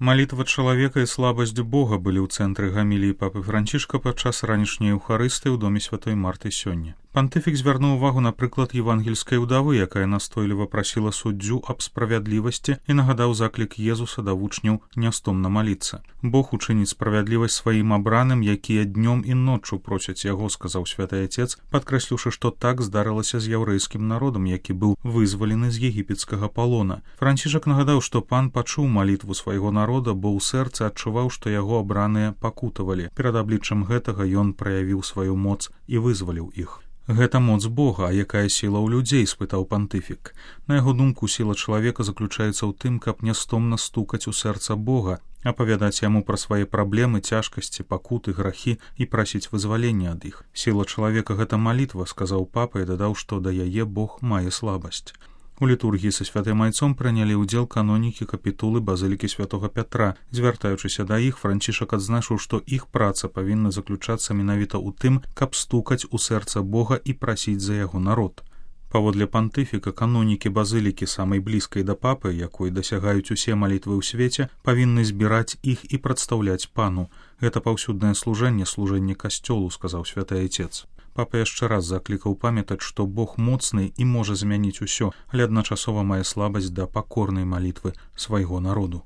Малітва чалавека і слабасць Бога былі ў цэнтры гаміліі папы Францішка падчас ранішняй еўхарыстыі ў доме святой Марты сёння. Пантыфік звярнуў увагу на прыклад евангельскай удавы, якая настойліва прасіла суддзю аб справядлівасці і нагадаў заклік Езуса да вучняў нястомна маліцца. Бог учыніць справядлівасць сваім абраным, якія днём і ноччу просяць яго, сказаў святы Отец, падкрэсліўшы, што так здарылася з яўрэйскім народам, які быў вызвалены з егіпецкага палона. Францішак нагадаў, што пан пачуў малітву свайго народа, бо ў сэрцы адчуваў, што яго абраныя пакутавалі. Перад абліччам гэтага ён праявіў сваю моц і вызваліў іх. Гэта моц Бога, а якая сіла ў людзей, спытаў пантыфік. На яго думку, сіла чалавека заключаецца ў тым, каб нястомна стукаць у сэрца Бога, апавядаць яму пра свае праблемы, цяжкасці, пакуты, грахі і прасіць вызвалення ад іх. Сіла чалавека — гэта малітва, сказаў папа і дадаў, што да яе Бог мае слабасць. У літургіі са святым айцом прынялі ўдзел канонікі капітулы базылікі святога Пятра. Звяртаючыся да іх, Францішак адзначыў, што іх праца павінна заключацца менавіта ў тым, каб стукаць у сэрца Бога і прасіць за яго народ. Паводле пантыфіка, канонікі базылікі, самай блізкай да папы, якой дасягаюць усе малітвы ў свеце, павінны збіраць іх і прадстаўляць пану. Гэта паўсюднае служэнне касцёлу, сказаў святы Айцец. Папа яшчэ раз заклікаў памятаць, што Бог моцны і можа змяніць усё, але адначасова мае слабасць да пакорнай малітвы свайго народу.